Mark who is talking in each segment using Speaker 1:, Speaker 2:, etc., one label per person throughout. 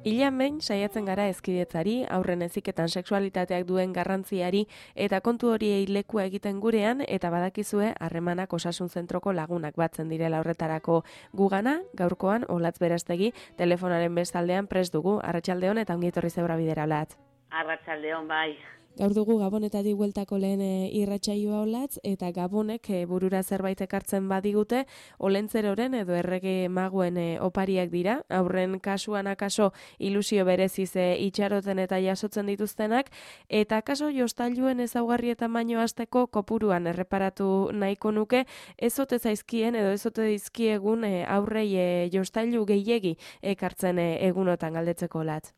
Speaker 1: Hilean behin saiatzen gara hezkidetzari, aurren heziketan sexualitateak duen garrantziari eta kontu horiei lekua egiten gurean eta badakizue harremanak osasun zentroko lagunak batzen direla horretarako gugana, gaurkoan Olatz Berastegi telefonaren bestaldean prest dugu. Arratsaldeon eta ongi etorri zeura bidera, Olatz.
Speaker 2: Arratsaldeon, bai.
Speaker 1: Gaur dugu Gabonetatik bueltako lehen irratsaioa, Olatz, eta Gabonek burura zerbait ekartzen badigute, olentzeroren edo errege maguen opariak dira, aurren kasuan akaso ilusio bereziz itxaroten eta jasotzen dituztenak, eta akaso jostailuen ezaugarrietan baino hasteko kopuruan erreparatu nahiko nuke, ezote zaizkien edo ezote dizkiegun aurrei jostailu gehiegi ekartzen egunotan galdetzeko, Olatz.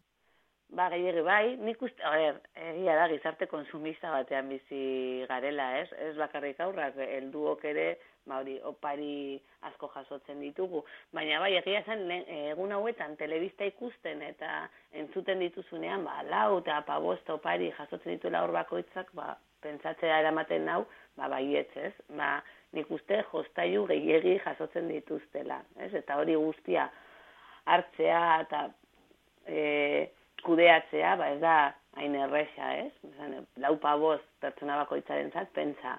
Speaker 2: Ba, gehiagi bai, nik uste, egia da, gizarte konsumista batean bizi garela, ez? Ez bakarrik aurrak, helduok ere, opari asko jasotzen ditugu. Baina bai, egia zen, egun hauetan telebista ikusten eta entzuten dituzunean, lau eta bost opari jasotzen dituela hor bakoitzak, pentsatzea eramaten nau, baietz, ez? Nik uste jostailu gehiegi jasotzen dituztela, ez? Eta hori guztia hartzea eta kudeatzea, ez da hain erresa, ez? Lau bost pertsona bakoitzarentzat pentsa.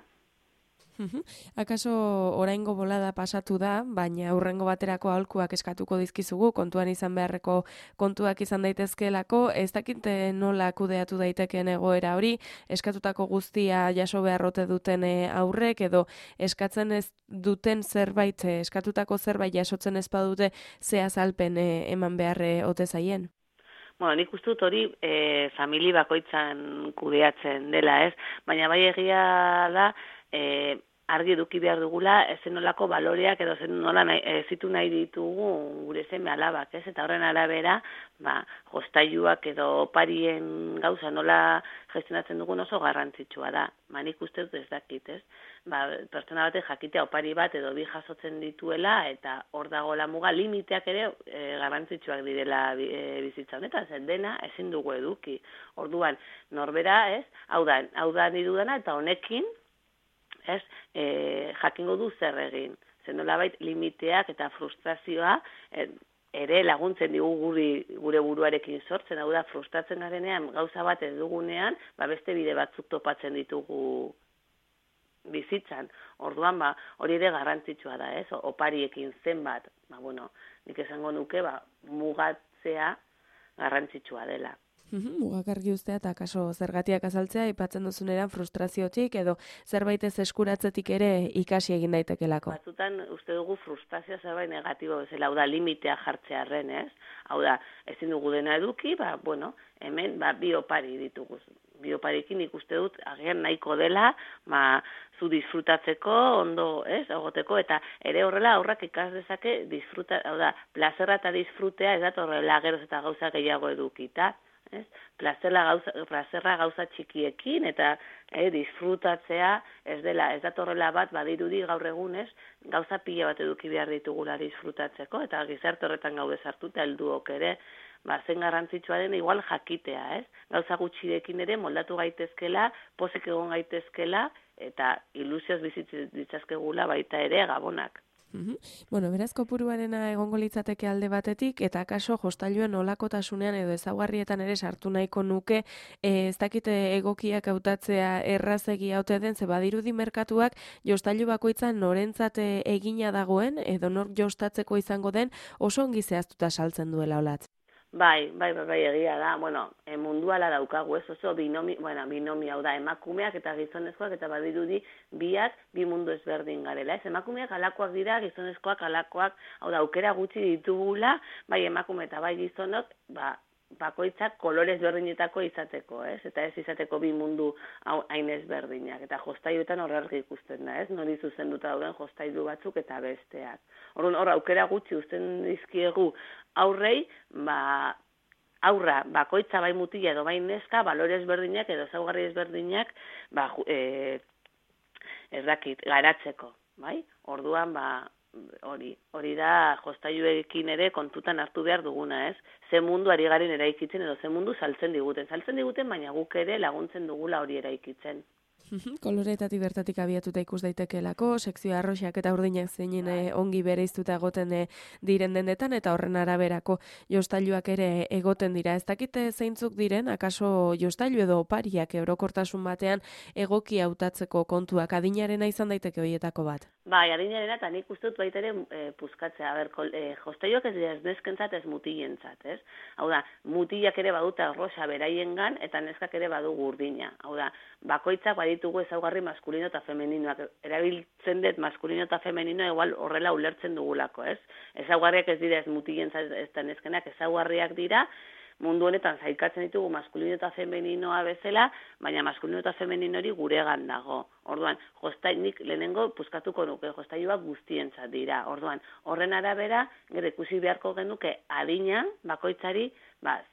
Speaker 1: Akaso oraingo bolada pasatu da, baina aurrengo baterako aholkuak eskatuko dizkizugu, kontuan izan beharreko kontuak izan daitezkeelako, ez dakite nola kudeatu daitekeen egoera hori, eskatutako guztia jaso beharrote duten aurrek, edo eskatzen ez duten zerbait, eskatutako zerbait jasotzen ez badute ze azalpen eman beharre ote zaien?
Speaker 2: Nik uste dut hori famili bakoitzan kudeatzen dela, ez? Baina bai egia da, argi eduki behar dugula, zen nolako baloreak edo zen nola zitu nahi ditugu gure seme alabak, ez? Eta horren arabera, jostailuak edo oparien gauza nola gestionatzen dugun oso garrantzitsua da. Nik uste dut ez dakit, ez? Pertsona batek jakitea opari bat edo bi jasotzen dituela eta hor dago la muga, limiteak ere garrantzitsuak direla bizitza honetan, zen dena ezin dugu eduki. Orduan, norbera, ez? Hau da nidudana eta honekin, ez, jakingo du zer egin. Zen nolabait limiteak eta frustrazioa ere laguntzen digu gure buruarekin sortzen, hau da frustratzen garenean gauza bat ez dugunean, beste bide batzuk topatzen ditugu bizitzan. Orduan, hori ere garrantzitsua da, ez? Opariekin zenbat, nik esango nuke, mugatzea garrantzitsua dela.
Speaker 1: Mugak argi ustea eta kaso zergatiak azaltzea aipatzen duzuneran frustraziotik edo zerbait ez eskuratzetik ere ikasi egin daitekelako.
Speaker 2: Batzutan uste dugu frustrazioa zerbait negatibo bezala, hau da limitea jartzearren, ez? Hau da, ezin dugu dena eduki, hemen bi opari ditugu. Bi oparikin ikuste dut agian nahiko dela, zu disfrutatzeko, ondo, ez, egoteko, eta ere horrela aurrak ikas dezake hau da, plazerra eta disfrutea ez dat horrela geroz eta gauza gehiago edukita. Plazerra gauza txikiekin eta disfrutatzea ez datorrela bat badirudi gaur egunez gauza pila bat eduki behar ditugula disfrutatzeko eta gizarte horretan gaude sartuta helduok ere zen garrantzitsua den igual jakitea, ez? Gauza gutxirekin ere moldatu gaitezkela, posek egon gaitezkela eta ilusioz bizitzen ditzazkegula baita ere Gabonak.
Speaker 1: Beraz kopuruarena egongo litzateke alde batetik, eta akaso jostailuen olakotasunean edo ezaugarrietan ere sartu nahiko nuke, ez dakite egokiak hautatzea errazegi haute den, ze badirudi merkatuak jostailu bakoitzan norentzat egina dagoen, edo nor jostatzeko izango den, oso ongi zehaztuta saltzen duela, Olatz.
Speaker 2: Bai, egia da. Munduala daukagu, ez oso binomio, hau da, emakumeak eta gizonezkoak eta badirudi biak bi mundu ezberdin garela. Ez emakumeak alakoak dira, gizonezkoak alakoak, hau da, aukera gutxi ditugula, bai emakume eta bai gizonok, bakoitzak kolorez berdinetako izateko, ez? Eta ez izateko bi mundu hain ezberdinak. Eta jostailuetan horrelgi ikusten da, ez? Nori zuzenduta dauden jostailu batzuk eta besteak. Hor aukera gutxi uzten dizkiegu aurrei, aurra bakoitza bai mutila edo bai neska, balore ezberdinak edo ezaugarri ezberdinak garatzeko. bai? Orduan, hori da jostailuekin ere kontutan hartu behar duguna, ez? Ze mundu ari garen eraikitzen edo ze mundu saltzen diguten, baina guk ere laguntzen dugula hori eraikitzen.
Speaker 1: Koloretatik bertatik abiatuta ikus daitekelako, sekzio arroxak eta urdinak zeinen ongi bereiztuta egoten diren dendetan, eta horren araberako jostailuak ere egoten dira. Ez dakite zeintzuk diren, akaso jostailu edo opariak orokortasun batean egoki hautatzeko kontuak adinarena izan daiteke horietako bat?
Speaker 2: Bai, adinarena, eta nik uste dut baita ere puzkatzea. Jostailuak ez dira ez neskentzat, ez mutilentzat, ez? Hau da, mutilak ere badute arroxa beraiengan, eta neskak ere badugu urdina. Hau da, bakoitzak baditugu ezaugarri maskulino eta femeninoak. Erabiltzen dut maskulino eta femenino igual horrela ulertzen dugulako, ez? Ezaugarriak ez dira ez mutilentzat ez da neskenak, ezaugarriak dira, mundu honetan zailkatzen ditugu maskulino eta femeninoa bezala, baina maskulino eta femenino hori guregan dago. Orduan, nik lehenengo puzkatuko nuke, jostailuak guztientzat dira. Orduan, horren arabera, gero ikusi beharko genuke adina bakoitzari,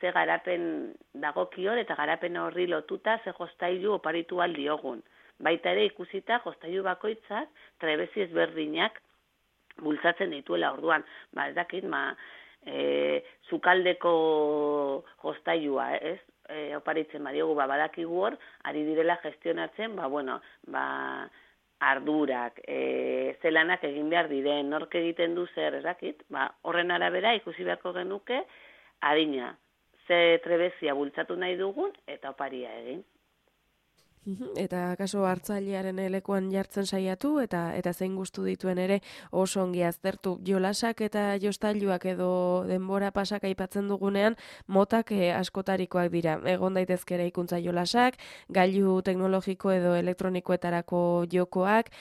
Speaker 2: ze garapen dagokion eta garapen horri lotuta ze jostailu oparitu aldiogun. Baita ere ikusita jostailu bakoitzak trebezi ezberdinak bultzatzen dituela. Orduan, ez dakit, zukaldeko jostailua, ez? Oparitzen badiogu, badakigu hor, ari direla gestionatzen, ardurak, zelanak egin behar diren, nork egiten du zer, ez dakit, horren arabera ikusi beharko genuke adina, ze trebezia bultzatu nahi dugun eta oparia egin.
Speaker 1: Eta kaso hartzailearen lekuan jartzen saiatu eta zein gustu dituen ere oso ongi aztertu. Jolasak eta jostailuak edo denbora pasak aipatzen dugunean motak askotarikoak dira. Egon daitezke eraikuntza jolasak, gailu teknologiko edo elektronikoetarako jokoak,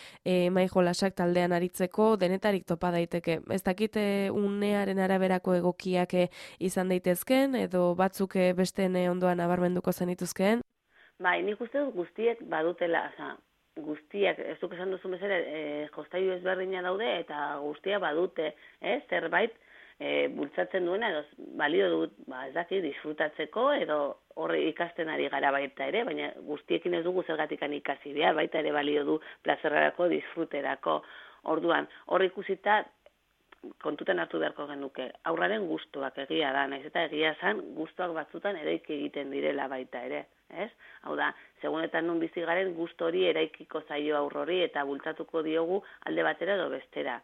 Speaker 1: mai jolasak taldean aritzeko denetarik topa daiteke. Ez dakite unearen araberako egokiak izan daitezken edo batzuk besteen ondoan nabarmenduko zenituzkeen?
Speaker 2: Bai, nik uste dut guztiek badutela, guztiak, ez duk esan duzu bezala, jostailu ezberdina daude eta guztiak badute, zerbait bultzatzen duena, edo balio dut, ez daki, disfrutatzeko, edo horre ikasten ari gara baita ere, baina guztiekin ez dugu zergatikan ikasi behar, baita ere balio du plazerrarako, disfruterako. Orduan, horre ikusita, kontutan hartu beharko genuke, aurraren gustuak egia da, naiz eta egia zan gustuak batzutan eraiki egiten direla baita ere, ez? Hau da, segunetan nun bizi garen gustu hori eraikiko zaio aurrori eta bultzatuko diogu alde batera edo bestera.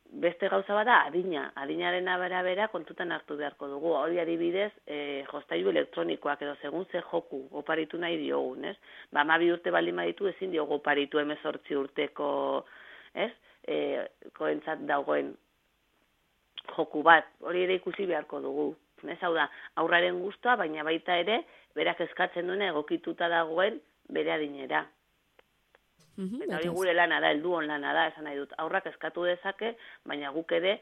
Speaker 2: Beste gauza bada adinaren arabera kontutan hartu beharko dugu. Hori adibidez, jostailu elektronikoak edo segun ze joku oparitu nahi diogun, ez? 12 urte baldin baditu ezin diogu oparitu 18 urteko, ez? Koentzat dagoen joku bat, hori ere ikusi beharko dugu. Hau da, aurraren gustua, baina baita ere, berak eskatzen duena egokituta dagoen bere adinera. Eta hori gure lana da, helduon lana da, esan nahi dut. Aurrak eskatu dezake, baina guk ere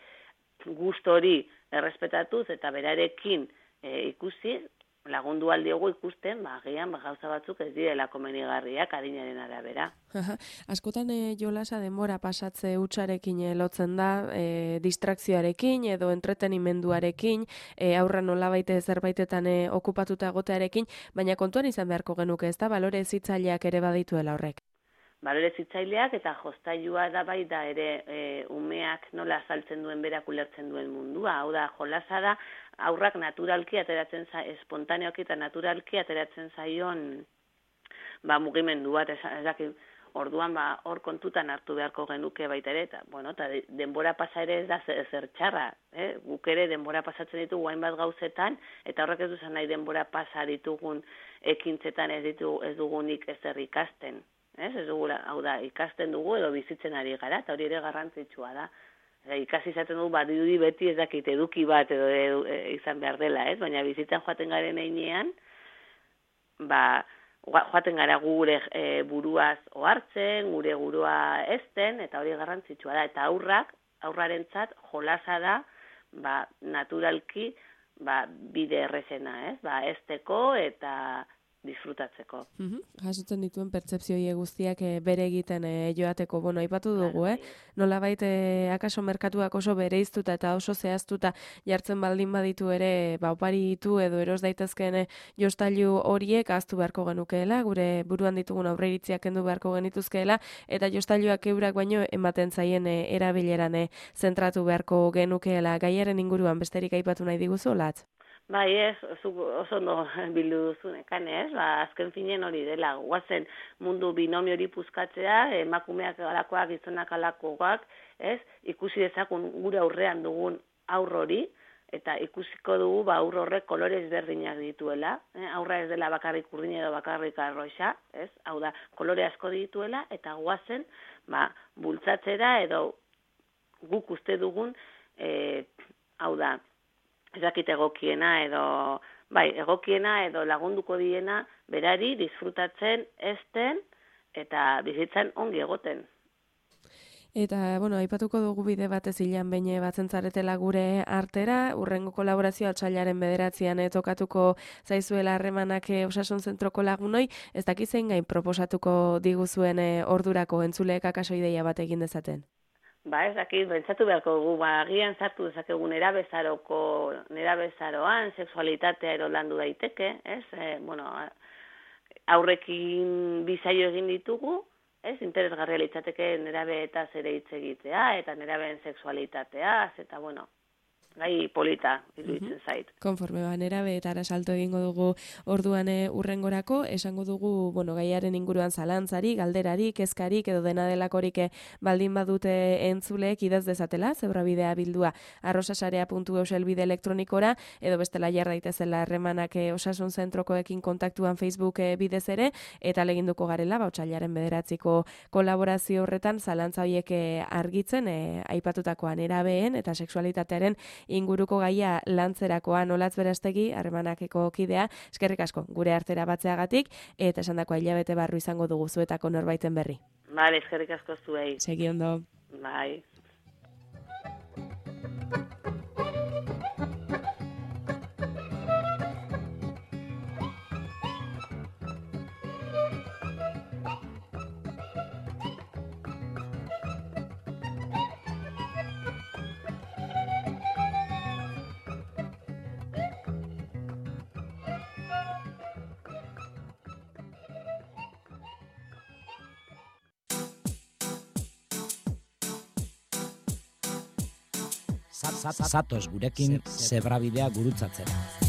Speaker 2: gustu hori errespetatuz eta berarekin ikusi, lagundu aldiogu ikusten, agian gauza batzuk ez direla komenigarriak adinaren arabera.
Speaker 1: Askotan jolasa denbora pasatze hutsarekin lotzen da, distrakzioarekin edo entretenimenduarekin, aurra nolabait zerbaitetan okupatuta egotearekin, baina kontuan izan beharko genuke, ez da, balore hezitzaileak ere badituela horrek.
Speaker 2: Balore hezitzaileak eta jostailua da bai da ere umeak nola azaltzen duen berak ulertzen duen mundua. Hau da, jolasa da aurrak naturalki ateratzen espontaneoki eta naturalki ateratzen zaion mugimendu bat, orduan hor kontutan hartu beharko genuke baita ere, eta denbora pasa ere ez da zer txarra, guk ere denbora pasatzen ditugu hainbat gauzetan, eta horrek ez duzan nahi denbora pasa ditugun ekintzetan ez dugunik ezer ikasten. Ez dugu, hau da, ikasten dugu edo bizitzen ari gara, eta hori ere garrantzitsua da. Ikasi izaten dugu, dirudi beti ez dakit eduki bat edo izan behar dela, ez? Baina bizitzen joaten garen einean, joaten gara gure buruaz ohartzen, gure burua ezten, eta hori garrantzitsua da. Eta aurrarentzat jolasa da, naturalki, bide errezena, ez? Ezteko eta disfrutatzeko.
Speaker 1: Jasotzen dituen pertzepzioi guztiak bere egiten joateko, aipatu dugu, nolabait akaso merkatuak oso bereiztuta eta oso zehaztuta jartzen baldin baditu ere, opari ditu edo eros daitezkeen jostailu horiek ahaztu beharko genukeela, gure buruan ditugun aurreiritziak kendu beharko genituzkeela, eta jostailuak eurak baino ematen zaien erabileran zentratu beharko genukeela. Gaiaren inguruan besterik aipatu nahi diguzu, Olatz?
Speaker 2: Bai, oso ondo bildu duzunekan, azken finen hori dela, guazen mundu binomio hori puzkatzea, emakumeak alakoak, gizonak alakoak, ikusi dezakun gure aurrean dugun aur hori, eta ikusiko dugu aur horrek kolore ezberdinak dituela, aurra ez dela bakarrik urdin edo bakarrik arroxa, hau da, kolore asko dituela, eta guazen, bultzatzera edo guk uste dugun, hau da, ezakit egokiena edo lagunduko diena berari disfrutatzen ezten eta bizitzan ongi egoten.
Speaker 1: Eta, aipatuko dugu bide batez hilan behin batzen zaretela gure artera, urrengo kolaborazioa otsailaren 9an tokatuko zaizuela harremanak osasun zentroko lagunoi, ez dakizein gain proposatuko diguzuen ordurako entzuleek akaso ideia bat egin dezaten?
Speaker 2: Ez dakit, bentsatu beharko dugu, agian sartu dezakegun nerabezaroan, sexualitatea erolandu daiteke, aurrekin bizaio egin ditugu, interesgarria litzateke nerabeetaz ere hitz egitea, eta nerabeen sexualitateaz, eta gai polita iruditzen zait.
Speaker 1: Konforme nerabeetara salto egingo dugu orduan urrengorako, esango dugu, gaiaren inguruan zalantzari, galderari, kezkarik edo dena delakorik baldin badute entzuleek idaz dezatela, zebrabidea bildua arrosasarea.eus elbide elektronikora, edo bestela jar daitezela harremanak osasun zentrokoekin kontaktuan Facebook bidez ere, eta leginduko garela, otsailaren 9ko kolaborazio horretan zalantza horiek argitzen, aipatutakoan nerabeen eta sexualitatearen inguruko gaia lantzerakoan. Olatz Berastegi, harremanakeko kidea, eskerrik asko gure artera batzeagatik, eta esandakoa hilabete barru izango dugu zuetako norbaiten berri.
Speaker 2: Bale, eskerrik asko zuei.
Speaker 1: Segi ondo.
Speaker 2: Bai.
Speaker 3: Zatoz gurekin zebrabidea gurutzatzera.